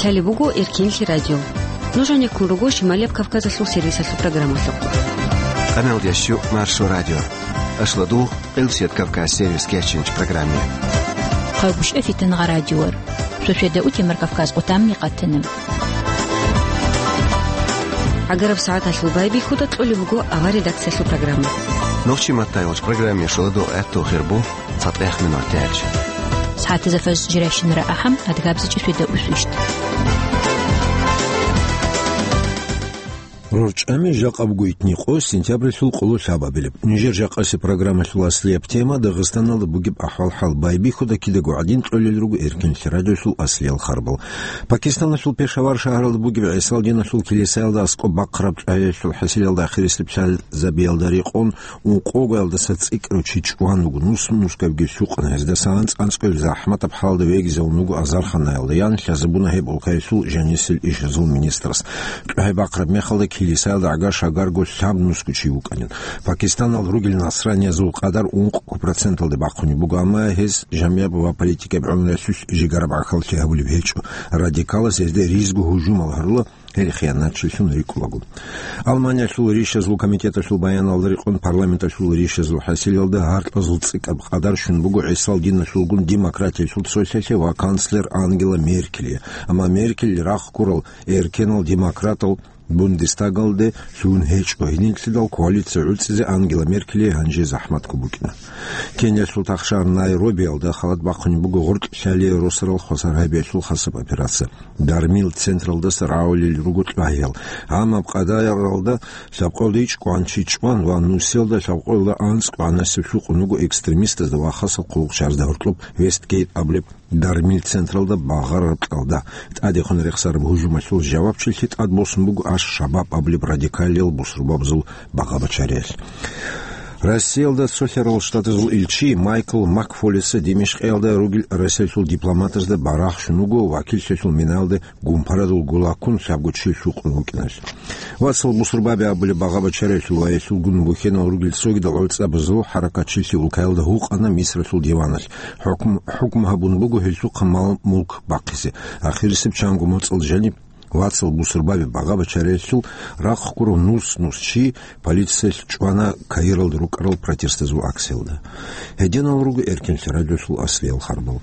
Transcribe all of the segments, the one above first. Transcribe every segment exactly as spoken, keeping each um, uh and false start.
Лъалеб буго Эркенлъи радио. Нуж гьанеккун руго Шималияб Кавказалъул сервисалъул программалъухъ. Къаналдящу Маршо радио. Ашладу Къилсият Кавказ сервис кечинч программе. Хъагушев Фитангъа радиор. Шошеда утемар Кавказ къутамни къатана. ГӀагараб сагӀаталъул байбихьуда кьолеб буго авар редакциялъул программа. Нохчи маттайолч программе шоладо гӀатту хирбу цатӀех минур тяч. СагӀатазафаз жирайщинара ахӀам адгабзичӀи шведа усвищт. РорчӀами жакъа буго итни къо сентябрилъул къоло лъабабилеб. Нижер жакъаси программалъул аслияб тема Дагъистаналда бугеб ахӀвал-хӀал байбихьуда кидаго гӀадин кьолел руго Эркенлъи радиолъул аслиял харбал. Пакистаналъул Пешавар шагьаралда бугеб ГӀисал диналъул килисаялда аскӀоб бахъараб чӀваялъул хӀасилалда ахирисеб лъазабиялда рекъон ункъоялдаса цӀикӀкӀарав чи чӀван вуго, нус-нускабги лъукъана. Гьездасан анцӀ-анцӀкӀоял захӀматаб хӀалда вегизавун вуго азарханаялда, ян лъазабуна гьеб улкаялъул жанисел ишазул министрас. ЧӀвай бахъараб мехалда килисаялда гӀагар-шагарго лъабнусго чи вукӀанин. Пакистаналда ругел насраниязул къадар ункъго проценталде бахъунеб буго, амма гьез жамигӀаб ва политикаб гӀумруялъулъ жигараб гӀахьаллъи гьабулеб гьечӀо. Радикалас гьезда ризго гьужумал гьарула, гьел хиянатчилъун рикӀкӀулаго. Алманиялъул ришазул комитеталъул баяналда рекъон парламенталъул ришазул хӀасилалда гьаркьазул цӀикӀаб къадар щун буго ГӀисал диналъулгун демократиялъул цолъалъе ва канцлер Ангела Меркелие. Амма Меркель рахъ гурал эркенал демократал Бундестагалде лъугьун гьечӀо. Гьединлъидал коалиция гӀуцӀизе Ангела Меркелие гьанже захӀматго букӀина. Кениялъул тахшагьар Найробиялда халат бахъунеб буго гъоркьлъалие росарал хвасар гьабиялъул хасаб операция. Дармил централдаса рагӀулел руго кьвагьиял. Гьанаб къадаралда лъабкъоялда ичӀ кӀванчи чӀван ва нусиялда лъабкъоялда анцӀ кӀванасеб лъукъун вуго экстремистазда ва хасал хъулухъчарзда гьоркьоб Вестгейт абулеб дармил централда багъараб кьалда. ТӀадехун рехсараб гьужумалъул жавабчилъи тӀадбосун буго Аш-Шабаб абулеб радикалиял бусурбабазул багъа-бачариялъ. Россиялда Цолъарал Штатазул илчи Майкл Макфолиса Димишкъиялда ругел Россиялъул дипломатазда барагь щун вуго вакиллъиялъул минаялде гумпарадул гулаккун лъабго чи лъукъун вукӀиналъ. Вацал бусурбаби абулеб багъа-бачариялъул ва гьелъулгун бухьенал ругел цогидал гӀуцӀабазул хӀаракатчилъи улкаялда гьукъана Мисралъул диваналъ. ХӀукм-, хӀукму гьабун буго гьелъухъа мал-мулк бахъизе. Ахирисеб чанго моцӀалда жаниб вацал бусурбаби багъа-бачариялъул рахъ гурав нус-нус чи полициялъ чӀвана Каиралда рукӀарал протестазул акциялда. Гьединал руго Эркенлъи радиолъул аслиял харбал.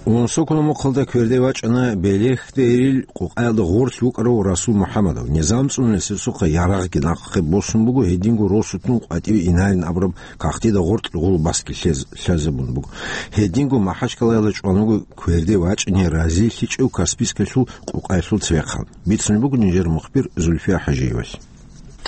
Унсокуна мухъалда кверде вачӀана Белехдерил къукъаялда гъорлъ вукӀарав Расул МухӀаммадов. Низам цӀунулесесухъа ярагъги нахъе босун буго, гьединго росутун къватӀиве инарин абураб кагътида гъоркь гъулбасги лъез-, лъазабун буго. Гьединго Махачкалаялда чӀван вуго кверде вачӀине разилъичӀев Каспийскалъул къукъаялъул цевехъан. Бицун буго нижер мухбир Зульфия ХӀажиевалъ.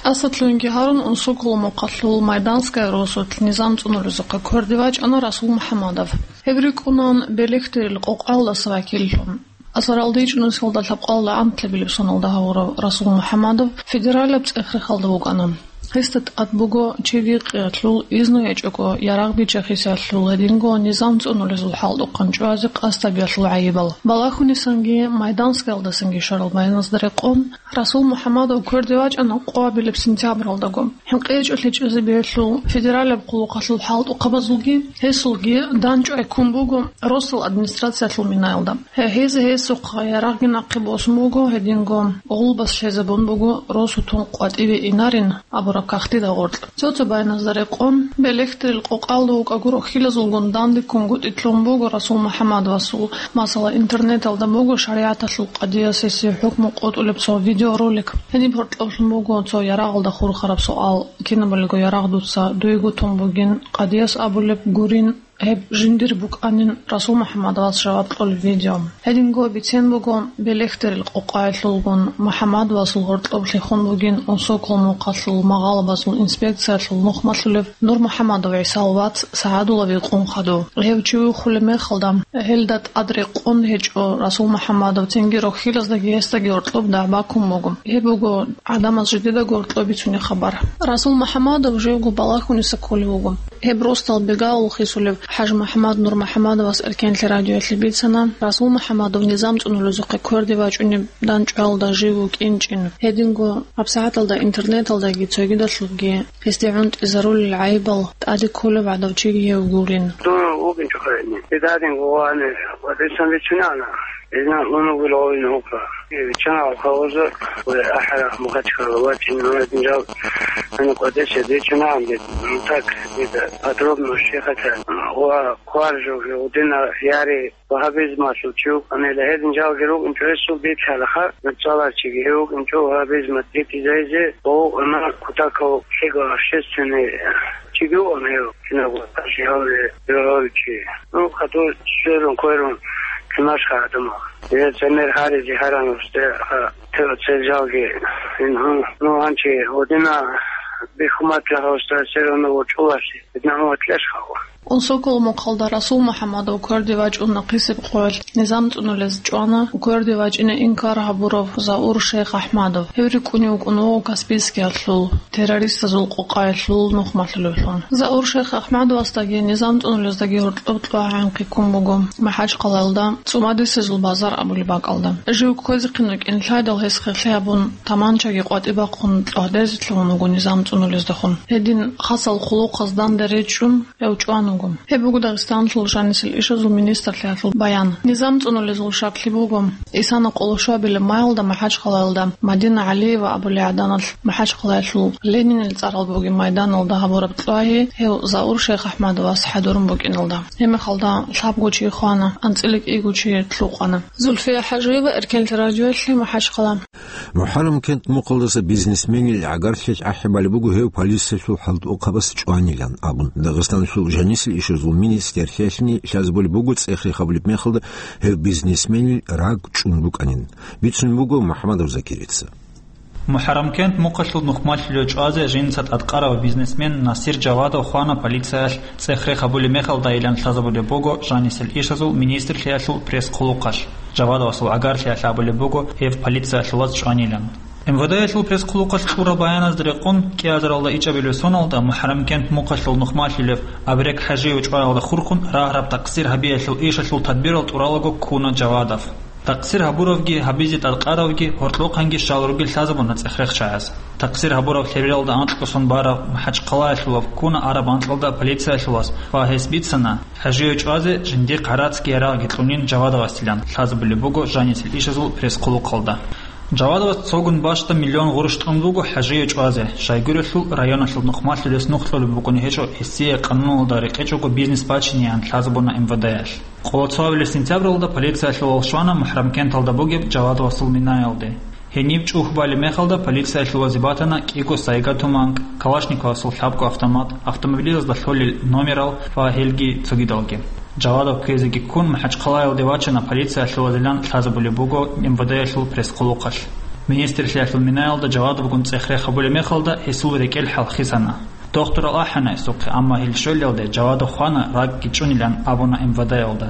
ТӀасалъугьинги гьарун, унсокула мухъалъул Майданская росулъ низам цӀунулезухъа кверде вачӀана Расул МухӀаммадов. Гьеб рикӀкӀунан Белехдерил къукъаялдаса вакиллъун. Асаралда ичӀнусиялда лъабкъоялда анлъабилеб соналда гьавурав Расул МухӀаммадов федералаб цӀех-рехалда вукӀана. Гьесда тӀад буго чиги къиялъул изну гьечӀого ярагъ биччахисеялъул, гьединго низам цӀунулезул хӀалтӀухъан чӀвазе къасд гьабиялъул гӀайибал. Балагьунисанги Майданскаялдасанги щварал баяназда рекъон, Расул МухӀаммадов кверде вачӀана къоабилеб сентябралдаго. ХӀинкъичӀолъи чӀезабиялъул федералаб хъулухъалъул хӀалтӀухъабазулги гьесулги данчӀвай ккун буго росдал администрациялъул минаялда. Гье-, гьез гьесухъа ярагъги нахъе босун буго, гьединго гъулбас лъезабун буго росутун къватӀиве инарин абураб кагътида гъоркь. Цо-цо баяназда рекъон, Белехдерил къукъаялда вукӀаго рохьилазулгун дандеккунгутӀи лъун буго Расул МухӀаммадовасул, масала, интернеталда буго шаригӀаталъул къадияс гьесие хӀукму къотӀулеб цо видеоролик. Гьениб гьоркьоблъун буго цо ярагъалда хурхараб суал: «Кинабалиго ярагъ дуца дуего тун бугин, къадияс абулеб гурин, гьеб жиндир букӀанин», Расул МухӀаммадовас жаваб кьолеб видео. Гьединго бицен буго Белехдерил къукъаялъулгун МухӀаммадовасул гьоркьоб лъехун бугин унсокула мухъалъул магъалабазул инспекциялъул нухмалъулев Нурмухьаммадов ГӀисал вац СагӀадулав Икъун хадув. Гьев чи виххулеб мехалда, гьелда тӀад рекъон гьечӀо Расул МухӀаммадов, цинги рохьилаздаги гьесдаги гьоркьоб дагӀба ккун буго. Гьеб буго гӀадамаз жидедаго гьоркьоб бицунеб хабар. Расул МухӀаммадов живго балагьуниса кколев вуго. Гьеб росдал бегавулхъисулев ХӀажмухӀаммад НурмухӀаммадовас Эркенлъи радиоялъе бицана, Расул МухӀаммадов низам цӀунулезухъе кверде вачӀунеб данчӀвалда жив вукӀинчӀин. Гьединго гьабсагӀаталда интернеталдаги цогидалъулги гьесде гӀунтӀизарулел гӀайибал тӀаде кколев гӀадав чиги гьев вугилан. Дун вукӀинчӀо гьедин. Гьедадинго вани ва децан бицунана. Гьезна унугил гъовин гьукъа. Виччана авхъа оза, ва ахӀара Мухачкала вачӀин гьанадин жал, гьанна къватӀеса дечӀана гьанбе, ну, так, дида подробно щехата, ва хъвар жо гьудина яри вагьабизмалъул чи вукӀанила, гьедин жалги рукӀинчӀо гьесул бицалаха, нацӀаларчиги гьев вукӀинчӀо вагьабизма тӀитӀизайзе, ва вукӀана кутакав лъиго общественный чиги вукӀана гьев, кинабго тӀаши гьавре, гьев гьавичи. Ну, хадур сверун, кверун, кинашха гӀадамал. Гьез гӀемер гьаризе гьаран гьусде, а, те-, цел жалги. Ин, ну, гьанчи гьудина бихьумат жагьуста сверун вучӀуласе, бидна гьума кьешхава. Унсокол мухъалда Расул МухӀаммадов кверде вачӀуна хъисеб къоялъ, низам цӀунулез чӀвана кверде вачӀине инкар гьабурав Заур Шейх АхӀмадов. Гьев рикӀкӀунев вукӀун вуго Каспийскиялъул террористазул къокъаялъул нухмалъулевлъун. Заур Шейх АхӀмадовасдаги низам цӀунулездаги гьоркьоб кьвагӀинхъи ккун буго МахӀачхъалаялда ЦӀумадисезул базар абулеб бакӀалда. Жив кквезехъин вукӀин лъайдал гьес хехлъи гьабун, таманчаги къватӀи бахъун кьвагьдезе лъугьун вуго низам цӀунулездехун. Гьедин хасал хъулухъаз данде речӀчӀун, гьев чӀван вуго. Гьеб буго Дагъистаналъул жанисел ишазул министрлъиялъул баян. Низам цӀунулезул шаклъи буго, Исана къоло щуабилеб майалда МахӀачхъалаялда Мадина ГӀалиева абулей гӀаданалъ МахӀачхъалаялъул Ленинил цӀарал бугеб майданалда гьабураб кьвагьи гьев Заур Шейх АхӀмадовас хӀадурун букӀиналда. Гьебмехалда лъабго чи хвана, анцӀила кӀиго чи лъукъана. Зульфия ХӀажиева, Эркенлъи радиоялъе, МахӀачхъала. МухӀаррам кент мухъалдаса бизнесменил гӀагарлъи ахӀи балеб буго гьев полициялъул хӀалтӀухъабас чӀванилан абун. Дагъистаналъул жанисел ишазул министрлъиялъни лъазабулеб буго цӀех-рех гьабулеб мехалда гьев бизнесменил раг чӀун букӀанин, бицун буго МухӀаммадов Закирица. МухӀаррам кент мухъалъул нухмалъулев чӀвазе жинца тӀадкъарав бизнесмен Насир Жавадов хвана полициялъ цӀех-рех гьабулеб мехалдайилан лъазабулеб буго жанисел ишазул министрлъиялъул пресс-хъулухъалъ. Жавадовасул гӀагарлъиялъ абулеб буго гьев полициялъулаз чӀванилан. МВД-ялъул пресс-хъулухъалъ кьураб баяназда рекъон, кӀиазаралда ичӀабилеб соналда МухӀаррам кент мухъалъул нухмалъулев Абрек ХӀажиев чӀваялда хурхун рагьараб такъсир гьабиялъул ишалъул тадбирал тӀуралаго ккуна Жавадов. Такъсир гьабуравги, гьабизе тӀадкъаравги, гьоркьохъанги щал ругел лъазабуна цӀех-рехчагӀаз. Такъсир гьабураб лъебералда анкьго сон барав МахӀачхъалаялъулав ккуна араб анкьалда полициялъулас ва гьес бицана, ХӀажиев чӀвазе жиндихъ гӀарацги ярагъги кьунин Жавадовасилан, лъазабулеб буго жанисел ишазул пресс-хъулухъалда. Жавадовас цогун бащда миллион гъурущ тӀун буго ХӀажиев чӀвазе, щайгурелъул районалъул нухмалъулес нух кьолеб букӀун гьечӀо гьесие къануналда рекъечӀого бизнес бачинеян лъазабуна МВД-ялъ. Къоло цоабилеб сентябралда полициялъулал щвана МухӀаррам кенталда бугеб Жавадовасул минаялде. Гьениб чӀухь балеб мехалда полициялъулазе батана кӀиго Сайга туманкӀ, Калашниковасул лъабго автомат, автомобилазда лъолел номерал ва гьелги цогидалги. Жавадов ккезеги ккун МахӀачхъалаялде вачана полициялъулазилан лъазабулеб буго МВД-ялъул пресс-хъулухъалъ. Министрлъиялъул минаялда Жавадовгун цӀех-рех гьабулеб мехалда гьесул рекӀел хӀалхисана. Дохтурал ахӀана гьесухъе, амма гьел щвелалде Жавадов хвана, ракӀги чӀунилан абуна МВД-ялда.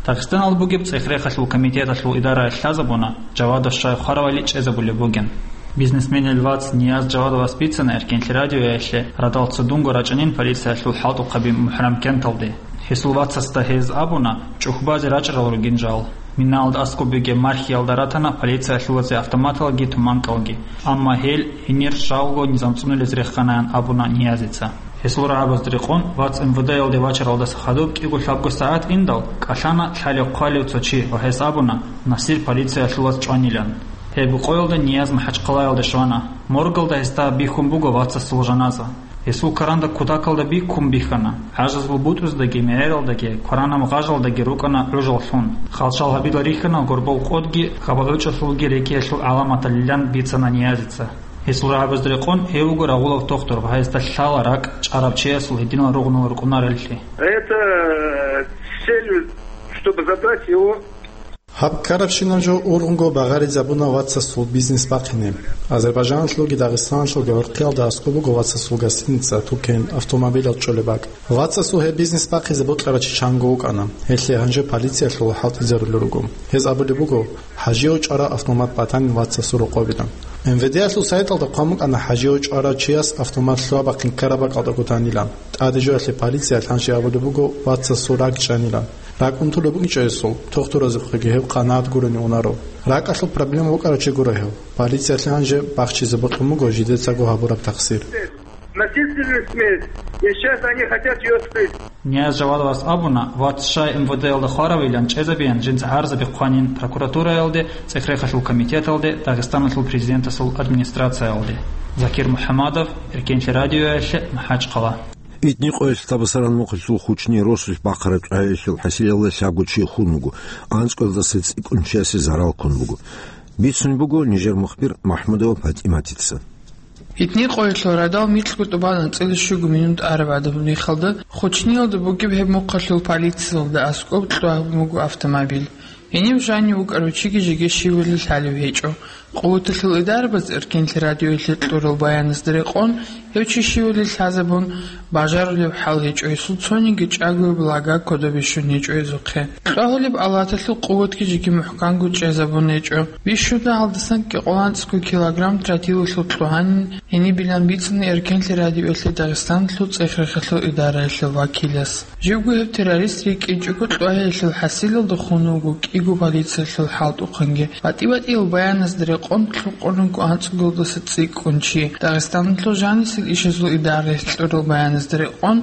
Дагъистаналда бугеб цӀех-рехалъул комитеталъул идараялъ лъазабуна, Жавадов щай хваравали чӀезабулеб бугин. Бизнесменил вац Нияз Жавадовас бицана Эркенлъи радиоялъе радал цо дунго рачӀанин полициялъул хӀалтӀухъаби МухӀаррам кенталде. Гьесул вацасда гьез абуна, чӀухь базе рачӀарал ругин жал. Минаялда аскӀоб бугеб мархиялда ратана полициялъулазе автоматалги туманкӀалги, амма гьел гьенир жалго низам цӀунулез реханаян абуна Ниязица. Гьесул рагӀабазда рекъон, вац МВД-ялде вачаралдаса хадуб кӀиго-лъабго сагӀат индал, кӀалъана лъалев-хъвалев цо чи ва гьес абуна, Насир полициялъулаз чӀванилан. Гьеб къоялда Нияз МахӀачхъалаялде щвана. Моргалда гьесда бихьун буго вацасул жаназа. Гьесул каранда кутакалда биккун бихьана. ГӀажазул бутӀруздаги, мегӀералдаги, кваранаб гъажалдаги рукӀана гӀужал лъун. Хал-шал гьабила рихьана горбол къодги, хабал гӀучӀалъулги рекӀиялъул гӀаламаталилан бицана Ниязица. Гьесул рагӀабазда рекъон, гьев вуго рагъулав тохтур ва гьесда лъала ракӀ чӀарав чиясул гьединал ругъунал рукӀунареллъи. Это, э, с целью, чтобы забрать его. Гьаб ккарабщинаб жо ургъунго багъаризабуна вацасул бизнес бахъине. Азербайджаналъулги Дагъистаналъулги гӀурхъиялда аскӀоб буго вацасул гостиница, тукен, автомобилал чӀолеб бакӀ. Вацасул гьеб бизнес бахъизе бокьарав чи чанго вукӀана. Гьелъие гьанже полициялъул хӀалтӀизарулел руго. Гьез абулеб буго, ХӀажияв чӀвараб автомат батанин вацасул рокъобилан. МВД-ялъул сайталда хъван букӀана хӀажие чӀварав чияс автомат лъугьа-бахъин ккараб бакӀалдаго танилан. ТӀаде жоялъе полициялъ гьанже абулеб буго вацасул ракӀ чӀанилан. РакӀ унтулеб букӀинчӀеб гьесул, тухтуразухъеги гьев къанагӀат гурони унаро. РакӀалъул проблема букӀарав чи гуро гьев. Полициялъе гьанже бахчизе бокьун буго жидецаго гьабураб тахсир. Насильственную смерть. И сейчас они хотят её скрыть. Нияз Жавадовас абуна, вац щай МВД-ялда хваравилан чӀезабеян жинца гӀарзаби хъванин прокуратураялде, ЦӀехерехалъул комитеталде, Дагъистаналъул президентасул администрациялде. Закир МухӀамадов, Эркенлъи радиоялъе, МахӀачхъала. Итни къоялъ Табасаран мухъалъул Хучни росулъ бахъараб тӀагьаялъул хӀасилалда лъабго чи хун вуго, анцӀкӀоялдаса цӀикӀкӀун чиясе зарал ккун буго. Бицун буго нижер мухбир МахӀмудова ПатӀиматица. Итни къоялъул радал микьго тӀубан анцӀила щуго минут араб гӀадаб мехалда, Хучниялда бугеб гьеб мухъалъул полициялда аскӀоб кьвагьун буго автомобиль. Гьенив жанив вукӀарав чиги жеги щивали лъалев гьечӀо. Къуваталъул идарабаз Эркенлъи радиоялъе кьурал баяназда рекъон, гьев чи щивали лъазабун, бажарулеб хӀал гьечӀо, гьесул цониги чӀагояб лага кодобе щун гьечӀо гьезухъе. Кьвагьулеб алаталъул къуватги жеги мухӀканго чӀезабун гьечӀо. Бищун дагьалдасан кӀикъоялда анцӀго килограмм тротилалъул кьогьанин гьенибилан бицана Эркенлъи радиоялъе Дагъистаналъул ЦӀехерехалъул идараялъул вакилас. Живго гьев террорист рикӀкӀинчӀого кьвагьиялъул хӀасилалда хун вуго кӀиго полициялъул хӀалтӀухъанги. БатӀи-батӀиял баяназда рекъон лъукъун руго анцӀго килоялдаса цӀикӀкӀун чи. Дагъистаналъул жанисел ишазул идараялъ кьурал баяназда рекъон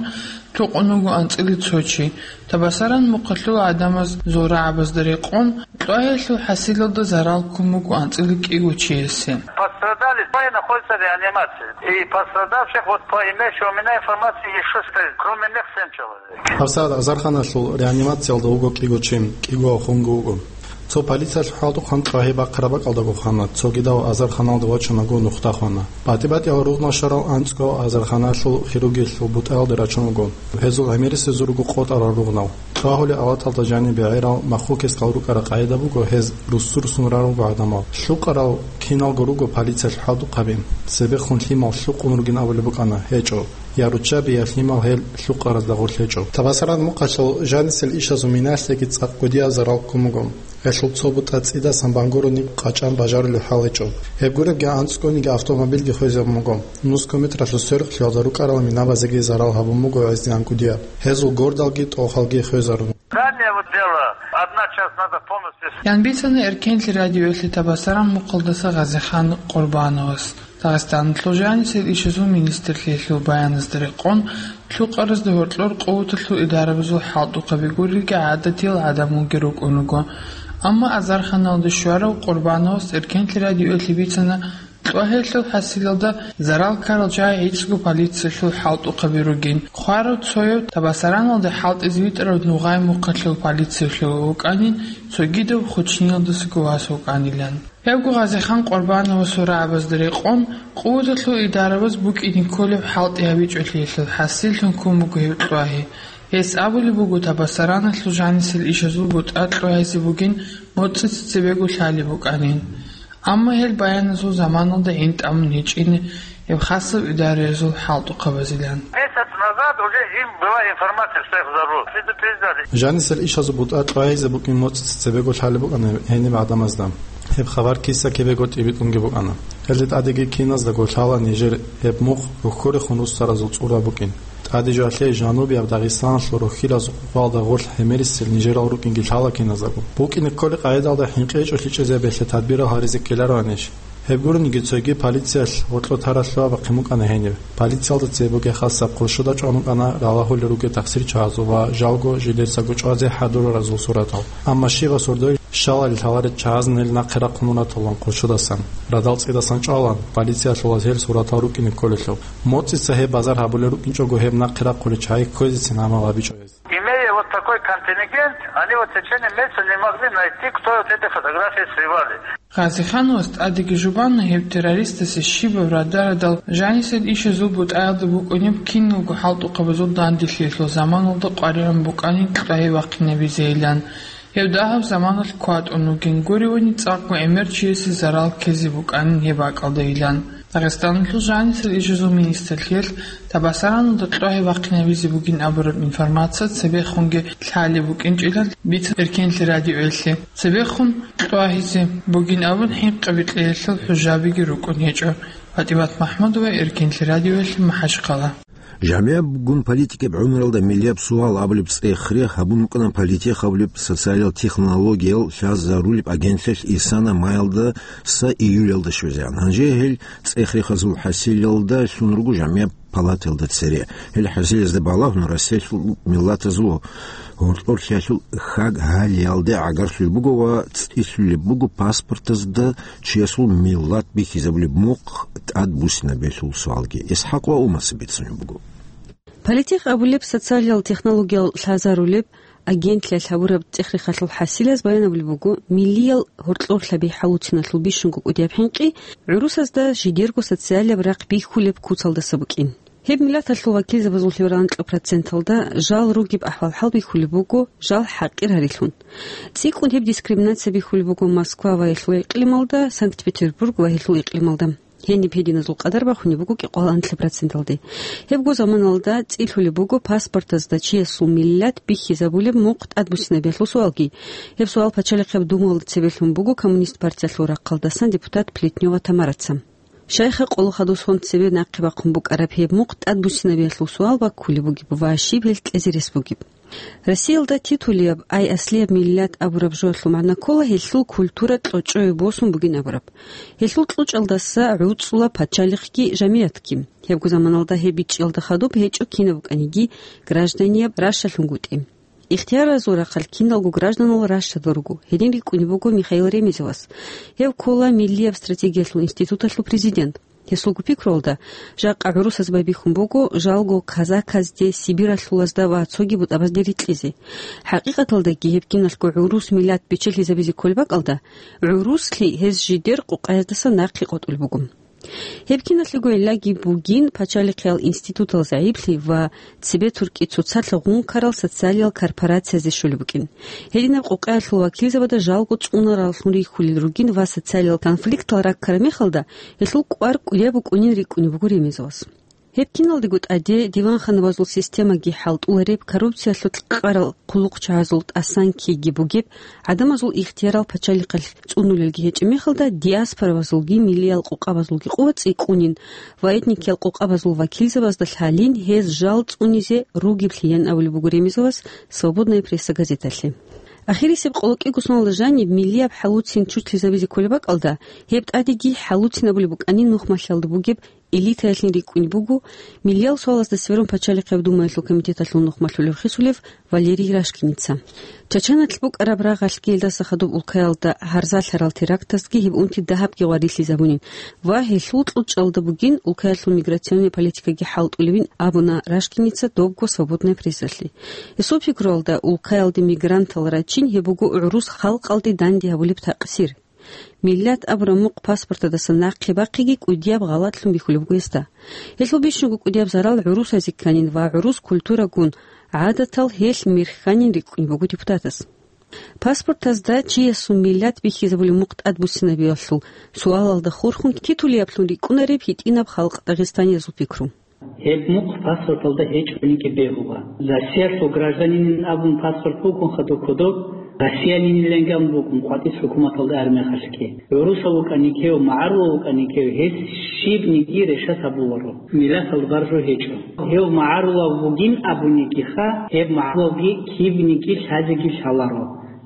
лъукъун вуго анцӀила цо чи. Табасаран мухъалъул гӀадамаз зурабазда рекъон, кьвагьиялъул хӀасилалда зарал ккун буго анцӀила кӀиго чиясе. Пострадали двое находятся в реанимации. И пострадавших, вот по имеющей у меня информации, ещё, кроме них, семь человек. ГьабсагӀат азарханалъул реанимациялда вуго кӀиго чи, кӀиго хунги вуго. Цо полициялъул хӀалтӀухъан кьвагьи бахъараб бакӀалдаго хана, цогидав азарханалда вачунаго нухда хвана. БатӀи-батӀиял ругънал щварал анцӀго азарханалъул хирургиялъул бутӀаялде рачун вуго. Гьезул гӀемерисезул руго къотӀарал ругънал. Кьвагьулеб алаталда жанибе гӀерал махлукесдал рукӀараб къагӀида буго, гьез руссурсун раралго гӀадамал. Лъукъарал киналго руго полициялъул хӀалтӀухъаби. Цебехун лъимал лъукъун ругин абулеб букӀана, гьечӀо. Я руччаби, я лъимал гьел лъукъаразда гъорлъ гьечӀо. Табасаран мухъалъул жанисел ишазул минаялъеги цӀакъ кӀудияб зарал ккун буго. Гьелъул цо бутӀа цӀидасан бангурони къачӀан бажарулеб хӀал гьечӀо. Гьеб гуребги анцӀгониги автомобильги хвезабун буго. Нусго метралъул сверухълъиялда рукӀарал минабазеги зарал гьабун буго гӀезегӀан кӀудияб. Гьезул гордалги тӀохалги хвезарун. Ранее вот дело, одна часть надо полностью. Ян бицана Эркенлъи радиоялъе Табасаран мухъалдаса Гъазихан Къурбановас. Дагъистаналъул жанисел ишазул министрлъиялъул баяназда рекъон, лъукъаразда гьоркьор къуваталъул идарабазул хӀалтӀухъаби гурелги гӀадатиял гӀадамалги рукӀун руго. Амма азарханалда щварав Къурбановас Эркенлъи радиоялъе бицана, кьвагьиялъул хӀасилалда зарал ккарал жагьи гӀицӀго полициялъул хӀалтӀухъаби ругин. Хварав цояв Табасараналда хӀалтӀизе витӀарав Нугъай мухъалъул полициялъул вукӀанин, цогидав Хучниялдасаго вас вукӀанилан. Гьебго Гъазихан Къурбановасул рагӀабазда рекъон, къуваталъул идарабаз букӀине кколеб хӀалтӀи гьабичӀолъиялъул хӀасиллъун ккун буго гьев кьвагьи. Гьес абулеб буго, Табасараналъул жанисел ишазул бутӀа кьвагьизе бугин, моцӀица цебего лъалеб букӀанин. Амма гьел баяназул заманалда гӀин тӀамун гьечӀин гьеб хасаб идараязул хӀалтӀухъабазилан. Месяц назад уже им была информация, что их взорвут. Предупреждали. Жанисел ишазул бутӀа кьвагьизе букӀин моцӀица цебего лъалеб букӀана гьениб гӀадамазда. Гьеб хабар киса-кибего тӀибитӀунги букӀана. Гьелде тӀадеги киназдаго лъала нижер гьеб мухъ рухьорехун руссаразул цӀура букӀин. ТӀаде жоялъе жанубияб Дагъистаналъул рухьилазул къукъалда гъорлъ гӀемерисел нижерал рукӀинги лъала киназдаго. БукӀине кколеб къагӀидалда хӀинкъи гьечӀолъичӀезабиялъе тадбирал гьаризе ккелароанищ? Гьеб гурониги цоги полициялъ гьоркьо таралъуа бахъин букӀана гьениб. Полициялда цебеги хасаб къуршуда чӀван букӀана ралагьулел ругел тахсирчагьазул ва жалго жидецаго чӀвазе хӀадураразул суратал. Амма щибаб сордоялъ щалалел лъаларел чагӀазин гьел нахъе рахъун ураталан къуршудасан, радал цӀидасан чӀвалан, полициялъулаз гьел суратал рукӀине кколелъул. МоцӀица гьеб базар гьабулел рукӀинчӀого гьеб нахъе рахъулел чагӀи кквезецин гӀамал гьабичӀо гьез. Имея вот такой контингент, они вот в течение месяца не могли найти, кто вот эти фотографии срывали. Гъазихановас тӀадеги жубана гьеб террористасе щибаб радарадал жанисел ишазул бутӀаялда букӀунеб киналго хӀалтӀухъабазул данделъиялъул заманалда къваригӀун букӀанин кьвагьи вахъинабизейилан. Гьев дагьаб заманалъ кватӀун вугин, гуревани цӀакъго гӀемер чиясе зарал ккезе букӀанин гьеб бакӀалдайилан. Дагъистаналъул жанисел ишазул министрлъиялъ Табасараналда кьвагьи вахъинавизе бугин абураб информация цебехунги лъалеб букӀинчӀилан бицун Эркенлъи радиоялъе. Цебехун кьвагьизе бугин абун хӀинкъи-бикьиялъул хӀужабиги рукӀун гьечӀо. ПатӀимат МахӀмудова, Эркенлъи радиоялъе, МахӀачхъала. ЖамигӀабгун политикаб гӀумралда миллияб суал абулеб цӀех-рех гьабун рукӀана политех абулеб социалиял технологиял лъазарулеб агентлъиялъ исана майялдаса июлялда щвезегӀан. Гьанже гьел цӀех-рехазул хӀасилалда лъун руго жамигӀаб палатаялда цере. Гьел хӀасилазда балагьун, Россиялъул миллатазул гьоркьорлъиялъул хьаг-гьалиялде гӀагарлъулеб буго ва цӀилъулеб буго паспортазда чиясул миллат бихьизабулеб мухъ тӀадбуссинабиялъул суалги. ИсхӀакъ ва Умаса бицунеб буго. Политех абулеб социалиял технологиял лъазарулеб агентлъиялъ гьабураб цӀех-рехалъул хӀасилаз баян абулеб буго, миллиял гьоркьорлъаби хӀалуциналъул бищунго кӀудияб хӀинкъи гӀурусазда жидерго социалияб рахъ бихьулеб куцалдаса букӀин. Гьеб миллаталъул вакилзабазул лъимерал анкьа проценталда жал ругеб ахӀвал-хӀал бихьулеб буго жал хӀакъир гьарилъун. ЦӀикӀкӀун гьеб дискриминация бихьулеб буго Москва ва гьелъул икълималда, Санкт-Петербург ва гьелъул икълималда. Гьениб гьединазул къадар бахунеб буго кӀикъоялда анлъаб проценталде. Гьебго заманалда цӀилъулеб буго паспортазда чиясул миллат бихьизабулеб мухъ тӀадбуссинабиялъул суалги. Гьеб суал Пачалихъаб Думаялда цебе лъун буго Коммунист партиялъул рахъалдасан депутат Плетнева Тамараца. Шайха къоло хадусгун цебе нахъе бахъун букӀараб гьеб мухъ тӀадбуссинабиялъул суал баккулеб бугеб ва щиб гьел кьезе рес бугеб. Россиялда титулияб, ай аслияб миллат абураб жоялъул магӀна ккола гьелъул культура кьочӀое босун бугин абураб. Гьелъул кьучӀалдаса гӀуцӀула пачалихъги жамигӀатги. Гьебго заманалда гьеб бичӀчӀиялда хадуб гьечӀо кинаб букӀаниги гражданияб ращалъунгутӀи. Ихтияразул рахъалъ киналго гражданал ращадал руго, гьедин рикӀкӀунеб буго Михаил Ремезовас. Гьев ккола Миллияб стратегиялъул институталъул президент. Гьесулго пикруялда, жакъа гӀурусаз байбихьун буго жалго казаказде, сибиралъулазда ва цоги бутӀабазде рикьизе. ХӀакъикъаталдаги гьеб киналъго гӀурус миллат бечелъизабизе кколеб бакӀалда, гӀуруслъи гьез жидер къукъаздаса нахъе къотӀулеб буго. Гьеб киналъего гӀиллаги бугин пачалихъиял институтал загӀиплъи ва цебе туркӀи цоцалъ гъункарал социалиял корпорациязде щолеб букӀин. Гьединаб къукъаялъул вакилзабада жалго цӀунараллъун рихьулел ругин ва социалиял конфликтал раккараб мехалда гьелъул кӀвар кӀудияб букӀунин рикӀкӀунеб буго Ремезовас. Гьеб киналдего тӀаде диванханабазул системаги хӀалтӀулареб, коррупциялъулъ къарал хъулухъчагӀазул тӀасан ккейги бугеб, гӀадамазул ихтиярал пачалихъалъ цӀунулелги гьечӀеб мехалда, диаспорабазулги миллиял къукъабазулги къуват цӀикӀкӀунин ва этникиял къукъабазул вакилзабазда лъалин гьез жал цӀунизе ругеблъи, ян абулеб буго Ремезовас «Свободная пресса» газеталъе. Ахирисеб къоло кӀиго соналда жаниб миллияб хӀалуцин чуртлъизабизе кколеб бакӀалда, гьеб тӀадеги хӀалуцинабулеб букӀанин нухмалъиялда бугеб элитаялъин рикӀкӀунеб буго, миллиял суалазда сверун пачалихъаб думаялъул комитеталъул нухмалъулев хисулев Валерий Рашкиница. Чачаналъ букӀараб рагъалъги гьелдаса хадуб улкаялда гьарзалъарал терактазги гьеб унти дагьабги гъварилъизабунин ва гьелъул кьучӀалда бугин улкаялъул миграционный политикаги хӀалтӀулевин абуна Рашкиница добго «Свободная прессалъе». Гьесул пикруялда, улкаялде мигрантал рачин гьеб буго гӀурус халкъалде данде гьабулеб такъсир. Миллат абураб мухъ паспортадаса нахъе бахъиги кӀудияб гъалатлъун бихьулеб буго гьесда. Гьелъул бищунго кӀудияб зарал гӀурусазе кканин ва гӀурус культурагун гӀадатал гьелъ мер хьанин рикӀкӀунеб буго депутатас. Паспортазда чиясул миллат бихьизабулеб мухъ тӀадбуссинабиялъул суалалда хурхун титулияблъун рикӀкӀунареб гьитӀинаб халкъ дагъистаниязул пикру. Гьеб мухъ паспорталда гьечӀониги бегьула. Россиялъул гражданинин абун паспорт бугун хадуб кодоб, россиянинилан ган бугун къватӀис хӀукуматалда армехалъги. ГӀурусав вукӀаникев, магӀарулав вукӀаникев, гьес щибниги решать гьабуларо. Миллаталда баржу гьечӀо. Гьев магӀарулав вугин абунигиха, гьеб магӀарулавги кибниги лъазеги лъаларо.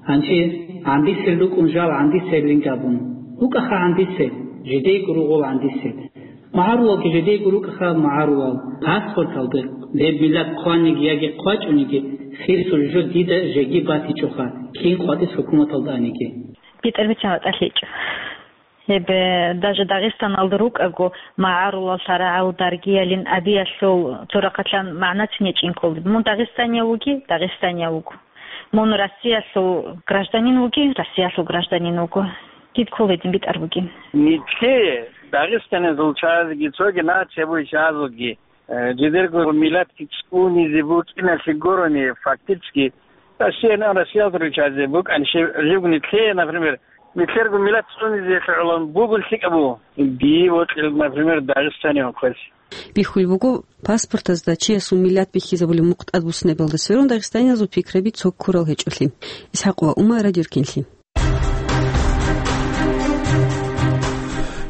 Гьанже гӀандисел рукӀун жал гӀандисел ринг абун. ВукӀаха гӀандисел, жидейго ругъул гӀандисел. МагӀарулалги жидейго рукӀаха магӀарулал. Паспорталда гьеб миллат хъваниги яги хъвачӀониги, хирсул жо дида жеги батичӀоха, кин къватӀис хӀукуматалда аниги. БитӀарбетан батӀалъичӀо. Гьеб, э, даже Дагъистаналда рукӀаго, магӀарулал, лъарагӀал, даргиялин абиялъул цо рахъалъан магӀнацин гьечӀин кколеб. Мун дагъистанияв вуги, дагъистанияв вуго. Мун Россиялъул гражданин вуги, Россиялъул гражданин вуго. Кид кколедин битӀар бугин. Нилъее, дагъистанизул чагӀазги, цоги нация бугей чагӀазулги, э, жидерго миллатги цӀунизе букӀиналъе гурони, фактически, Россиян, Россиялда ручазе букӀан, щиб, живгни лъе, например, нилъерго миллат цӀунизе лъугӀулан бугун лъикӀаб буго. Дие вокьил, например, Дагъистаниялъ квес. Бихьулеб буго, паспортазда чиясул миллат бихьизабулеб мухъ тӀадбуссинабалда сверун дагъистаниязул пикраби цо ккурал гьечӀолъи. ИсхӀакъ ва Умар, Радио Эркенлъи.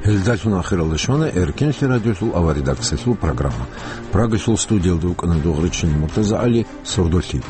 Гьелдалъун ахиралда щвана Эркенлъи радиолъул аварредакциялъул программа. Прагалъул студиялда вукӀана Дугъричин МуртазагӀали, сордолъи.